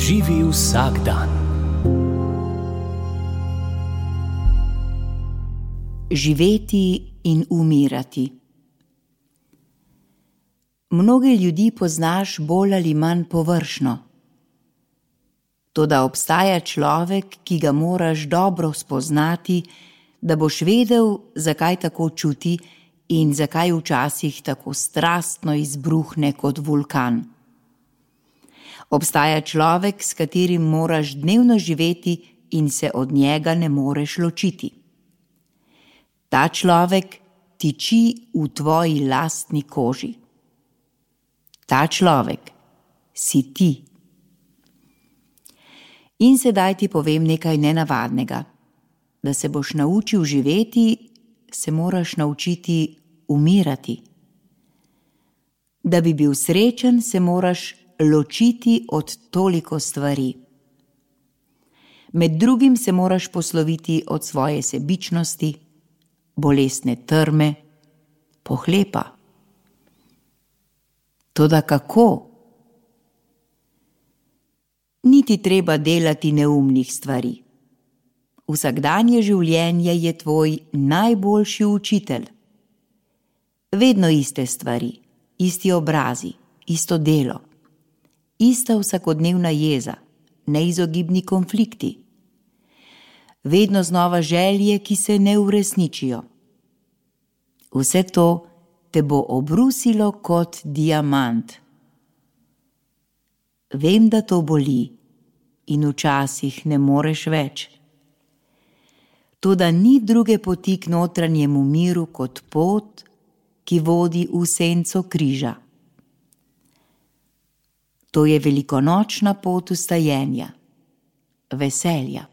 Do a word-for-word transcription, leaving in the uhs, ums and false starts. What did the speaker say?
Živi vsak dan. Živeti in umirati. Mnoge ljudi poznaš bolj ali manj površno. Toda obstaja človek, ki ga moraš dobro spoznati, da boš vedel, zakaj tako čuti in zakaj včasih tako strastno izbruhne kot vulkan. Obstaja človek, s katerim moraš dnevno živeti in se od njega ne moreš ločiti. Ta človek tiči v tvoji lastni koži. Ta človek si ti. In sedaj ti povem nekaj nenavadnega. Da se boš naučil živeti, se moraš naučiti umirati. Da bi bil srečen, se moraš ločiti od toliko stvari. Med drugim se moraš posloviti od svoje sebičnosti, bolestne trme, pohlepa. Toda kako? Ni ti treba delati neumnih stvari. Vsakdanje življenje je tvoj najboljši učitelj. Vedno iste stvari, isti obrazi, isto delo, ista vsakodnevna jeza, neizogibni konflikti. Vedno znova želje, ki se ne uresničijo. Vse to te bo obrusilo kot diamant. Vem, da to boli in včasih ne moreš več. Toda ni druge poti k notranjemu miru kot pot, ki vodi v senco križa. To je velikonočna pot vstajenja, veselja.